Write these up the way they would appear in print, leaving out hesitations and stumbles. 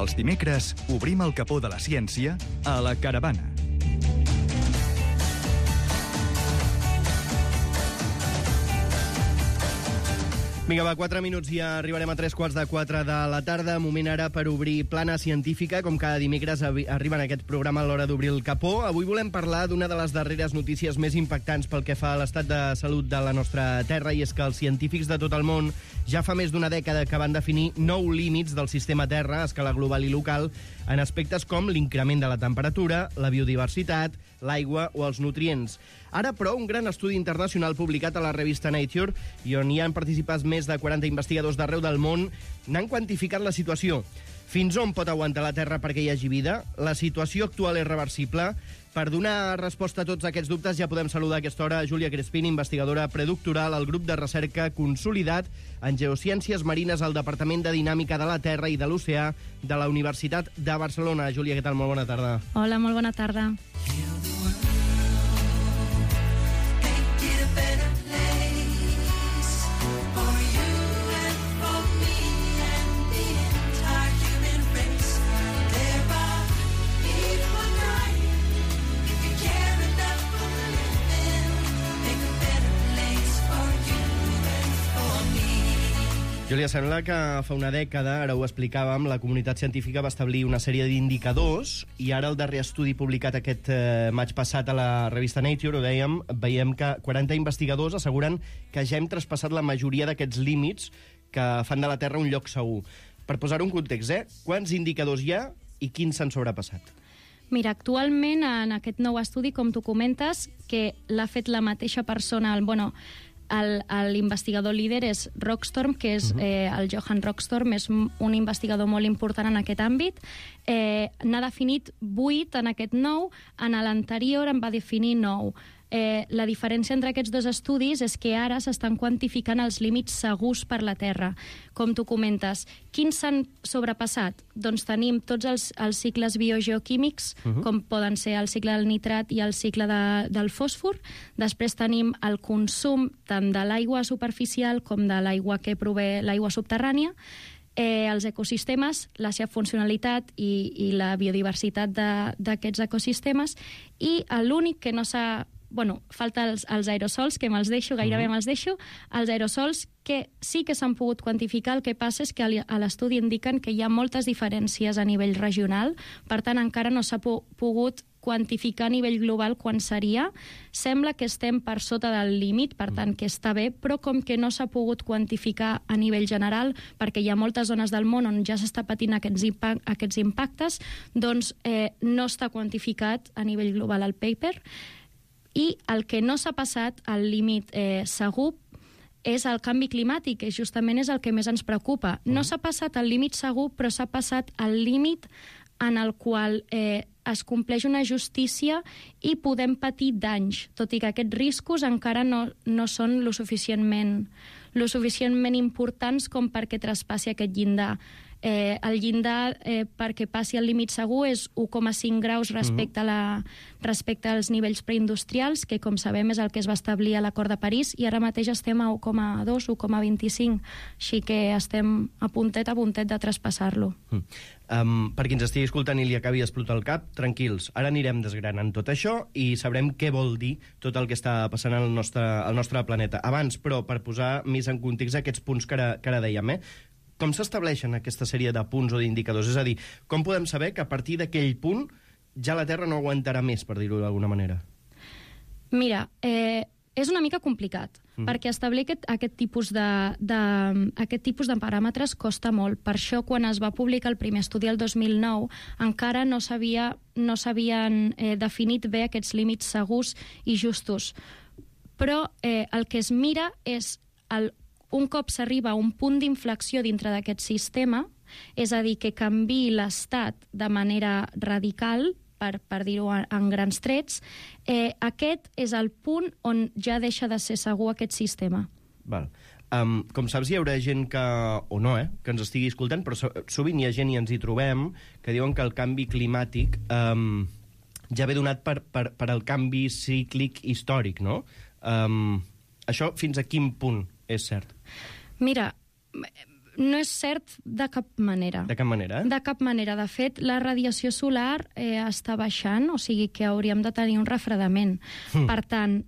Els dimecres obrim el capó de la ciència a la Caravana. Vinga, va, 4 minuts i arribarem a 3:45 de la tarda. Moment ara per obrir Plana Científica. Com cada dimecres arriba en aquest programa a l'hora d'obrir el capó. Avui volem parlar d'una de les darreres notícies més impactants pel que fa a l'estat de salut de la nostra Terra, i és que els científics de tot el món ja fa més d'una dècada que van definir 9 límits del sistema Terra a escala global i local en aspectes com l'increment de la temperatura, la biodiversitat, l'aigua o els nutrients. Ara, però, un gran estudi internacional publicat a la revista Nature, i on hi han participat més de 40 investigadors d'arreu del món, n'han quantificat la situació. Fins on pot aguantar la Terra perquè hi hagi vida? La situació actual és reversible? Per donar resposta a tots aquests dubtes ja podem saludar a aquesta hora Júlia Crespin, investigadora predoctoral al grup de recerca consolidat en geociències marines al Departament de Dinàmica de la Terra i de l'Oceà de la Universitat de Barcelona. Júlia, què tal? Molt bona tarda. Hola, molt bona tarda. Júlia, sembla que fa una dècada, ara ho explicàvem, la comunitat científica va establir una sèrie d'indicadors, i ara el darrer estudi publicat aquest maig passat a la revista Nature, ho dèiem, veiem que 40 investigadors asseguren que ja hem traspassat la majoria d'aquests límits que fan de la Terra un lloc segur. Per posar-ho en context, quants indicadors hi ha i quins s'han sobrepassat? Mira, actualment en aquest nou estudi, com tu comentes, que l'ha fet la mateixa persona, l'investigador líder és Rockstorm, que és el Johan Rockstorm, és un investigador molt important en aquest àmbit. N'ha definit 8 en aquest nou, en l'anterior en va definir 9. La diferència entre aquests dos estudis és que ara s'estan quantificant els límits segurs per la Terra. Com tu comentes, quins s'han sobrepassat? Doncs tenim tots els cicles biogeoquímics, com poden ser el cicle del nitrat i el cicle del fòsfor. Després tenim el consum tant de l'aigua superficial com de l'aigua que prové l'aigua subterrània, els ecosistemes, la seva funcionalitat i la biodiversitat d'aquests ecosistemes, i l'únic que no s'ha... falta els aerosols, que gairebé me'ls deixo. Els aerosols que sí que s'han pogut quantificar, el que passa és que a l'estudi indiquen que hi ha moltes diferències a nivell regional, per tant encara no s'ha pogut quantificar a nivell global quan seria. Sembla que estem per sota del límit, per tant que està bé, però com que no s'ha pogut quantificar a nivell general, perquè hi ha moltes zones del món on ja s'està patint aquests impactes, doncs no està quantificat a nivell global el paper. I el que no s'ha passat al límit segur és el canvi climàtic, que justament és el que més ens preocupa. No s'ha passat al límit segur, però s'ha passat al límit en el qual es compleix una justícia i podem patir danys, tot i que aquests riscos encara no són lo suficientment importants com perquè traspassi aquest llindar. El llindar perquè passi al límit segur és 1,5 graus respecte als nivells preindustrials, que com sabem és el que es va establir a l'Acord de París, i ara mateix estem a 1,2, 1,25, així que estem a puntet de traspassar-lo. Per qui ens estigui escoltant i li acabi d'explotar el cap, tranquils, ara anirem desgranant tot això i sabrem què vol dir tot el que està passant al nostre planeta. Abans, però, per posar més en context aquests punts que ara dèiem, com s'estableixen aquesta sèrie de punts o d'indicadors? És a dir, com podem saber que a partir d'aquell punt ja la Terra no aguantarà més, per dir-ho d'alguna manera? Mira, és una mica complicat, perquè establir aquest tipus de paràmetres costa molt. Per això, quan es va publicar el primer estudi el 2009, encara no s'havien definit bé aquests límits segurs i justos. Però el que es mira és un cop s'arriba a un punt d'inflexió dintre d'aquest sistema, és a dir, que canviï l'estat de manera radical, per dir-ho en grans trets, aquest és el punt on ja deixa de ser segur aquest sistema. Val. Com saps, hi haurà gent que, o no, que ens estigui escoltant, però sovint hi ha gent, i ens hi trobem, que diuen que el canvi climàtic ja ve donat per el canvi cíclic històric, no? Això fins a quin punt és cert? Mira, No és cert de cap manera. De cap manera, De cap manera. De fet, la radiació solar està baixant, o sigui que hauríem de tenir un refredament. Per tant,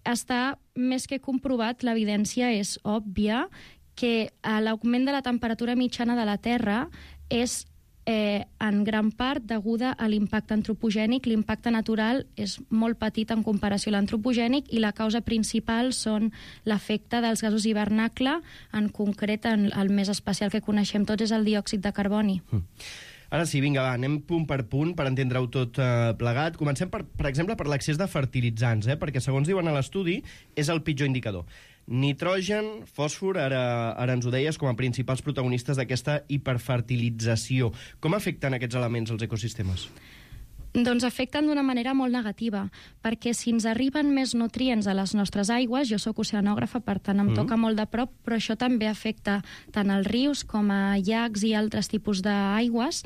està més que comprovat, l'evidència és òbvia, que l'augment de la temperatura mitjana de la Terra és en gran part deguda a l'impacte antropogènic. L'impacte natural és molt petit en comparació a l'antropogènic i la causa principal són l'efecte dels gasos hivernacle, en concret el més especial que coneixem tots és el diòxid de carboni. Ara sí, vinga, va, anem punt per punt per entendre-ho tot plegat. Comencem, per exemple, per l'excés de fertilitzants, perquè segons diuen a l'estudi és el pitjor indicador. Nitrogen, fòsfor, ara ens ho deies, com a principals protagonistes d'aquesta hiperfertilització. Com afecten aquests elements als ecosistemes? Doncs afecten d'una manera molt negativa, perquè si ens arriben més nutrients a les nostres aigües, jo sóc oceanògrafa, per tant em toca molt de prop, però això també afecta tant als rius com a llacs i altres tipus d'aigües.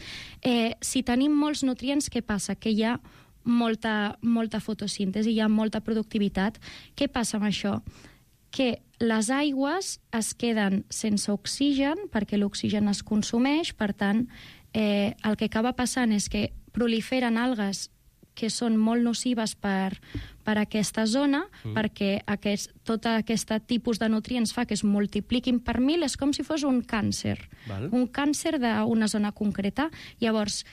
Si tenim molts nutrients, què passa? Que hi ha molta fotosíntesi, hi ha molta productivitat. Què passa amb això? Que les aigües es queden sense oxigen perquè l'oxigen es consumeix, per tant, el que acaba passant és que proliferen algues que són molt nocives per aquesta zona, perquè tot aquest tipus de nutrients fa que es multipliquin per 1000, és com si fos un càncer. Un càncer d'una zona concreta. Llavors,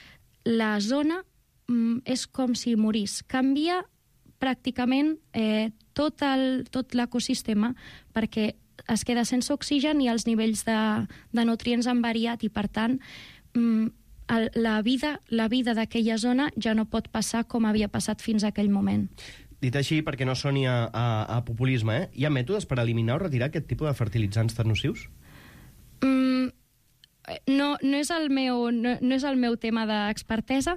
la zona és com si morís. Canvia pràcticament tot l'ecosistema perquè es queda sense oxigen i els nivells de nutrients han variat i, per tant, la vida d'aquella zona ja no pot passar com havia passat fins a aquell moment. Dit així, perquè no soni a populisme, hi ha mètodes per eliminar o retirar aquest tipus de fertilitzants tan nocius? No és el meu tema d'expertesa,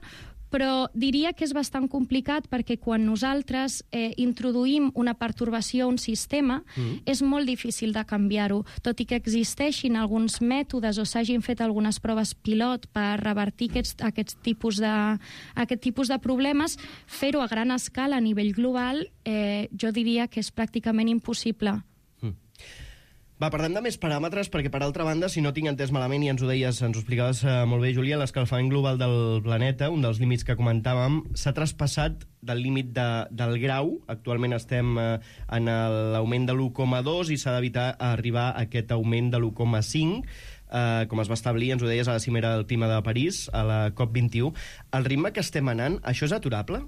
però diria que és bastant complicat perquè quan nosaltres introduïm una pertorbació a un sistema és molt difícil de canviar-ho, tot i que existeixin alguns mètodes o s'hagin fet algunes proves pilot per revertir aquest tipus de problemes, fer-ho a gran escala a nivell global jo diria que és pràcticament impossible. Va, parlem de més paràmetres, perquè, per altra banda, si no tinc entès malament, i ens ho deies, ens ho explicaves molt bé, Júlia, l'escalfament global del planeta, un dels límits que comentàvem, s'ha traspassat del límit del grau. Actualment estem en l'augment de l'1,2 i s'ha d'evitar arribar a aquest augment de l'1,5, com es va establir, ens ho deies, a la cimera del clima de París, a la COP21. El ritme que estem anant, això és aturable?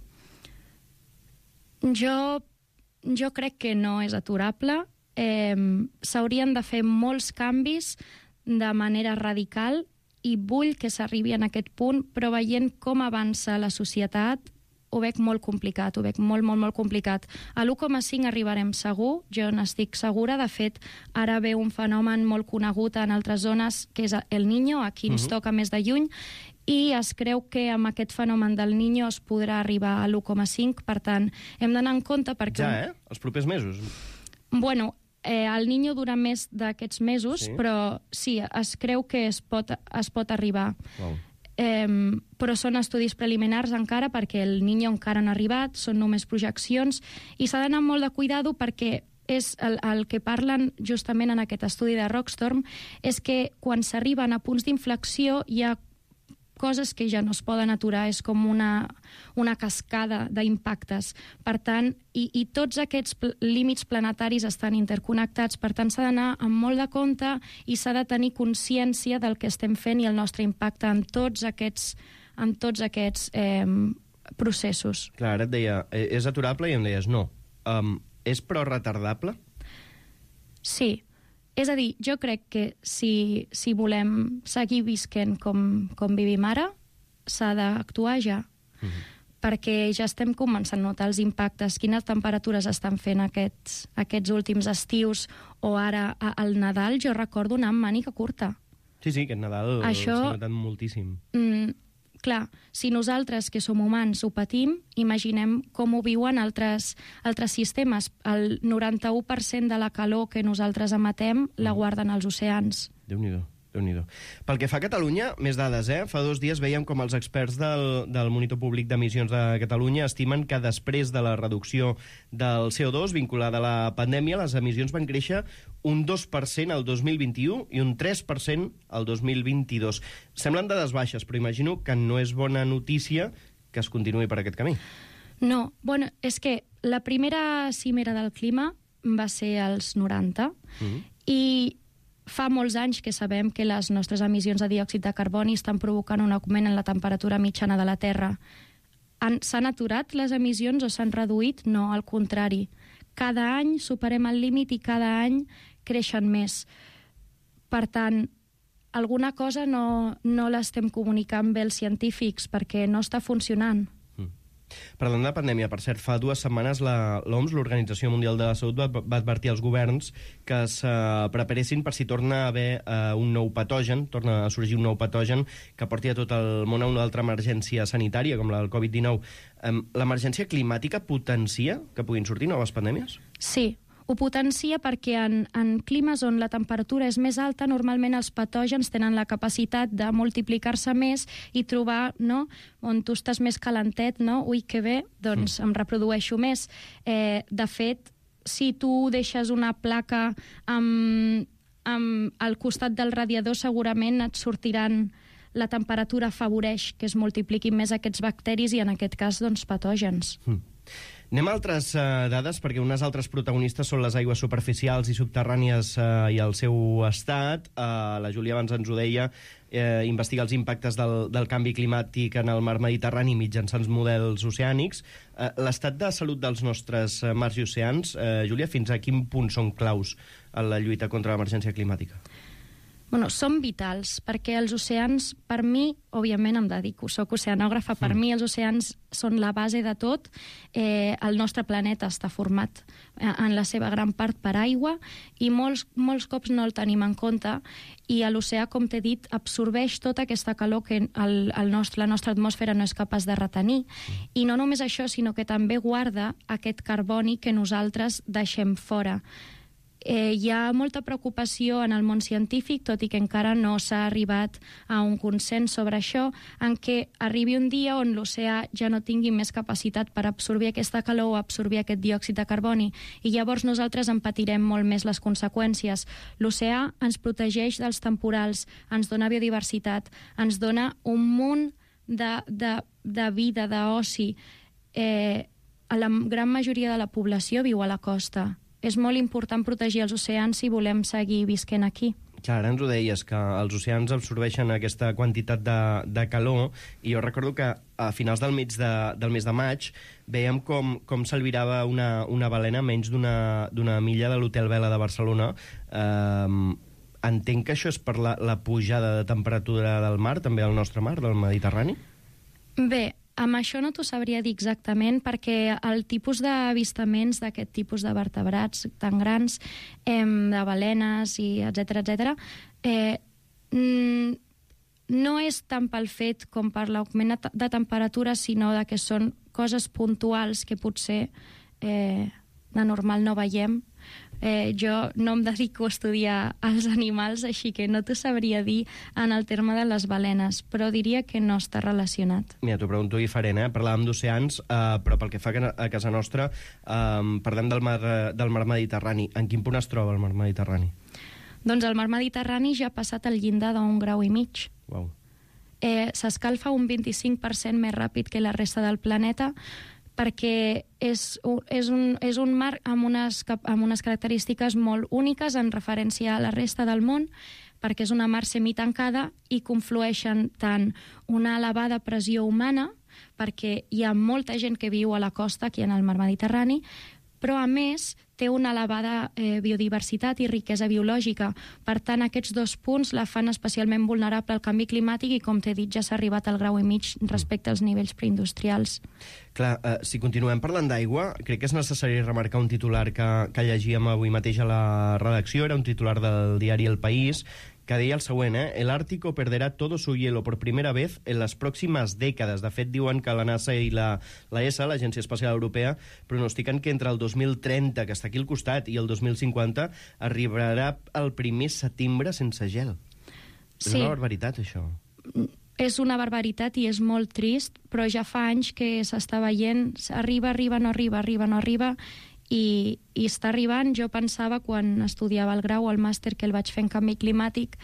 Jo crec que no és aturable. S'haurien de fer molts canvis de manera radical i vull que s'arribi en aquest punt, però veient com avança la societat ho veig molt complicat, ho veig molt complicat. A l'1,5 arribarem segur, jo n'estic segura. De fet, ara ve un fenomen molt conegut en altres zones, que és el Niño, aquí ens toca més de lluny, i es creu que amb aquest fenomen del Niño es podrà arribar a l'1,5, per tant, hem d'anar en compte perquè... Ja, Els propers mesos? Bueno, el Niño dura més d'aquests mesos, sí? Però sí, es creu que es pot arribar. Wow. Però són estudis preliminars encara perquè el Niño encara no ha arribat, són només projeccions, i s'ha d'anar molt de cuidado perquè és el que parlen justament en aquest estudi de Rockstorm, és que quan s'arriben a punts d'inflexió hi ha coses que ja no es poden aturar, és com una cascada d'impactes. Per tant, i tots aquests límits planetaris estan interconnectats, per tant s'ha d'anar amb molt de compte i s'ha de tenir consciència del que estem fent i el nostre impacte en tots aquests processos. Clar, ara et deia, és aturable i em deies no. És però retardable? Sí. És a dir, jo crec que si volem seguir visquent com vivim ara, s'ha d'actuar ja. Perquè ja estem començant a notar els impactes, quines temperatures estan fent aquests últims estius, o ara al Nadal jo recordo anar amb màniga curta. Sí, aquest Nadal s'ha notat moltíssim. Clar, si nosaltres, que som humans, ho patim, imaginem com ho viuen altres sistemes. El 91% de la calor que nosaltres emetem la guarden als oceans. Déu-n'hi-do. Déu-n'hi-do. Pel que fa a Catalunya, més dades, Fa 2 dies veiem com els experts del Monitor Públic d'Emissions de Catalunya estimen que després de la reducció del CO2 vinculada a la pandèmia, les emissions van créixer un 2% al 2021 i un 3% al 2022. Semblen dades baixes, però imagino que no és bona notícia que es continuï per aquest camí. No, bueno, és que la primera cimera del clima va ser als 90 i fa molts anys que sabem que les nostres emissions de diòxid de carboni estan provocant un augment en la temperatura mitjana de la Terra. S'han aturat les emissions o s'han reduït? No, al contrari. Cada any superem el límit i cada any creixen més. Per tant, alguna cosa no l'estem comunicant bé els científics perquè no està funcionant. Parlant de pandèmia, per cert, fa 2 setmanes l'OMS, l'Organització Mundial de la Salut, va advertir als governs que es preparessin per si torna a haver un nou patogen, torna a sorgir un nou patogen que porti a tot el món a una altra emergència sanitària, com la del Covid-19. L'emergència climàtica potencia que puguin sortir noves pandèmies? Sí, ho potencia perquè en climes on la temperatura és més alta, normalment els patògens tenen la capacitat de multiplicar-se més i trobar, no?, on tu estàs més calentet, no? Ui, que bé, doncs em reprodueixo més. De fet, si tu deixes una placa al costat del radiador, segurament et sortiran... La temperatura afavoreix que es multipliquin més aquests bacteris i, en aquest cas, doncs, patògens. Anem a altres dades, perquè unes altres protagonistes són les aigües superficials i subterrànies i el seu estat. La Júlia abans ens ho deia, investiga els impactes del canvi climàtic en el mar Mediterrani mitjançant models oceànics. L'estat de salut dels nostres mars i oceans, Júlia, fins a quin punt són claus en la lluita contra l'emergència climàtica? Bueno, són vitals, perquè els oceans, per mi, òbviament em dedico, soc oceanògrafa, per mi els oceans són la base de tot. El nostre planeta està format en la seva gran part per aigua i molts cops no el tenim en compte, i l'oceà, com t'he dit, absorbeix tota aquesta calor que la nostra atmosfera no és capaç de retenir. I no només això, sinó que també guarda aquest carboni que nosaltres deixem fora. Hi ha molta preocupació en el món científic, tot i que encara no s'ha arribat a un consens sobre això, en què arribi un dia on l'oceà ja no tingui més capacitat per absorbir aquesta calor o absorbir aquest diòxid de carboni, i llavors nosaltres en patirem molt més les conseqüències. L'oceà ens protegeix dels temporals, ens dona biodiversitat, ens dona un munt de vida, d'oci. La gran majoria de la població viu a la costa. És molt important protegir els oceans si volem seguir visquent aquí. Clar, ara ens ho deies, que els oceans absorbeixen aquesta quantitat de calor, i jo recordo que a finals del mes de maig veiem com s'albirava una balena a menys d'una milla de l'Hotel Vela de Barcelona. Entenc que això és per la pujada de temperatura del mar, també al nostre mar, del Mediterrani? Bé, amb això no t'ho sabria dir exactament, perquè el tipus d'avistaments d'aquest tipus de vertebrats tan grans, de balenes, i etcètera, no és tant pel fet com per l'augment de temperatura, sinó que són coses puntuals que potser de normal no veiem. Jo no em dedico a estudiar els animals, així que no t'ho sabria dir en el terme de les balenes, però diria que no està relacionat. Mira, t'ho pregunto diferent, Parlàvem d'oceans, però pel que fa a casa nostra, parlem del mar Mediterrani. En quin punt es troba el mar Mediterrani? Doncs el mar Mediterrani ja ha passat el llindar d'1,5 graus. Uau. S'escalfa un 25% més ràpid que la resta del planeta, perquè és un mar amb unes característiques molt úniques en referència a la resta del món, perquè és una mar semitancada i conflueixen tant una elevada pressió humana, perquè hi ha molta gent que viu a la costa aquí en el mar Mediterrani, però a més té una elevada biodiversitat i riquesa biològica. Per tant, aquests dos punts la fan especialment vulnerable al canvi climàtic i, com t'he dit, ja s'ha arribat al 1,5 graus respecte als nivells preindustrials. Clar, si continuem parlant d'aigua, crec que és necessari remarcar un titular que llegíem avui mateix a la redacció, era un titular del diari El País, que deia el següent, el Ártico perderá todo su hielo por primera vez en las próximas décadas. De fet, diuen que la NASA i la ESA, l'Agència Espacial Europea, pronostiquen que entre el 2030, que està aquí al costat, i el 2050, arribarà el primer setembre sense gel. És una barbaritat, això. És una barbaritat i és molt trist, però ja fa anys que s'està veient, arriba, no arriba, i està arribant. Jo pensava, quan estudiava el grau o el màster que el vaig fer en canvi climàtic,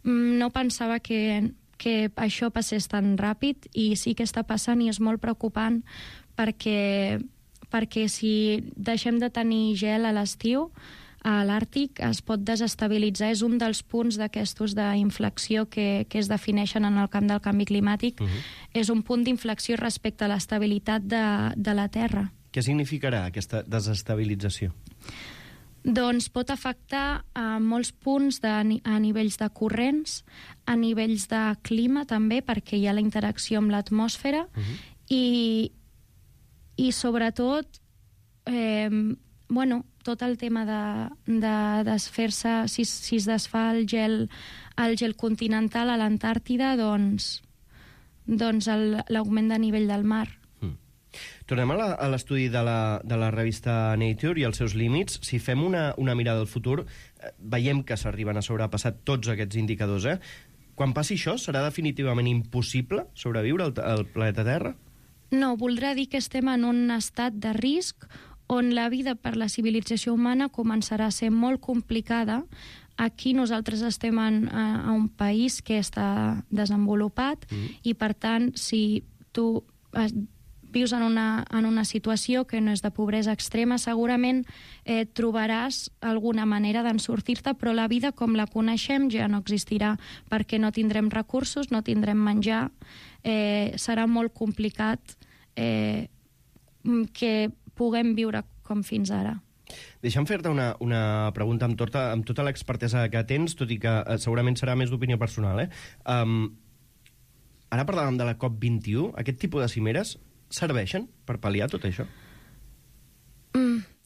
no pensava que això passés tan ràpid, i sí que està passant i és molt preocupant, perquè si deixem de tenir gel a l'estiu, a l'Àrtic es pot desestabilitzar. És un dels punts d'aquestos d'inflexió que es defineixen en el camp del canvi climàtic. És un punt d'inflexió respecte a l'estabilitat de la Terra. Què significarà aquesta desestabilització? Doncs pot afectar a molts punts a nivells de corrents, a nivells de clima també, perquè hi ha la interacció amb l'atmosfera, i sobretot tot el tema de desfer-se, si es desfà el gel continental a l'Antàrtida, doncs l'augment de nivell del mar. Tornem a l'estudi de la revista Nature i els seus límits. Si fem una mirada al futur, veiem que s'arriben a sobrepassar tots aquests indicadors. Quan passi això, serà definitivament impossible sobreviure al planeta Terra? No, voldrà dir que estem en un estat de risc on la vida per la civilització humana començarà a ser molt complicada. Aquí nosaltres estem a un país que està desenvolupat, i per tant, si tu vius en una situació que no és de pobresa extrema, segurament trobaràs alguna manera d'en sortir-te, però la vida com la coneixem ja no existirà, perquè no tindrem recursos, no tindrem menjar, serà molt complicat que puguem viure com fins ara. Deixa'm fer-te una pregunta amb tota l'expertesa que tens, tot i que segurament serà més d'opinió personal. Ara parlàvem de la COP21. Aquest tipus de cimeres serveixen per pal·liar tot això?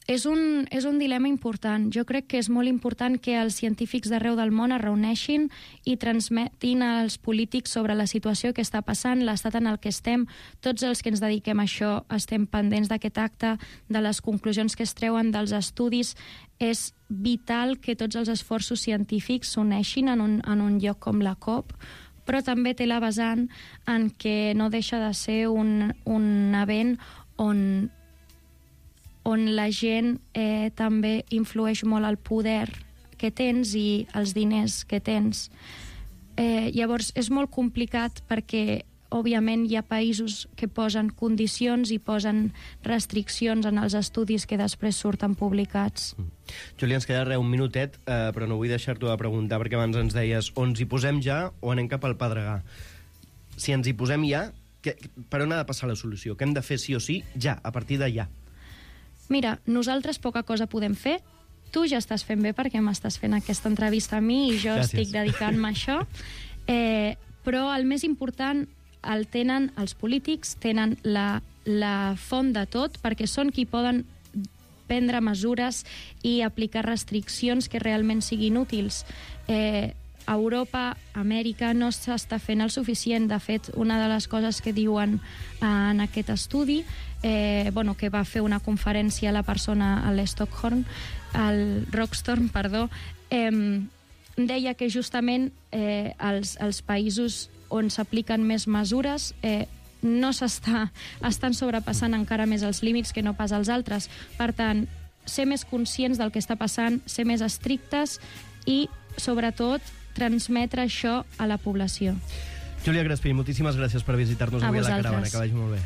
És un dilema important. Jo crec que és molt important que els científics d'arreu del món es reuneixin i transmetin als polítics sobre la situació que està passant, l'estat en el que estem. Tots els que ens dediquem a això estem pendents d'aquest acte, de les conclusions que es treuen dels estudis. És vital que tots els esforços científics s'uneixin en un lloc com la COP, però també té la vessant en què no deixa de ser un event on la gent també influeix molt el poder que tens i els diners que tens. Llavors, és molt complicat perquè, òbviament, hi ha països que posen condicions i posen restriccions en els estudis que després surten publicats. Júlia, ens queda un minutet, però no vull deixar-t'ho de preguntar, perquè abans ens deies o ens hi posem ja o anem cap al Pedregar. Si ens hi posem ja, per on ha de passar la solució? Què hem de fer sí o sí ja, a partir de ja? Mira, nosaltres poca cosa podem fer. Tu ja estàs fent bé perquè m'estàs fent aquesta entrevista a mi i jo estic dedicant-me a això. Però el més important el tenen els polítics, tenen la font de tot, perquè són qui poden prendre mesures i aplicar restriccions que realment siguin útils. A Europa, a Amèrica, no s'està fent el suficient. De fet, una de les coses que diuen en aquest estudi, que va fer una conferència la persona al Rockstorm, deia que justament els països on s'apliquen més mesures no estan sobrepassant encara més els límits que no pas els altres. Per tant, ser més conscients del que està passant, ser més estrictes i, sobretot, transmetre això a la població. Júlia Crespí, moltíssimes gràcies per visitar-nos avui a la Caravana. Que vagi molt bé.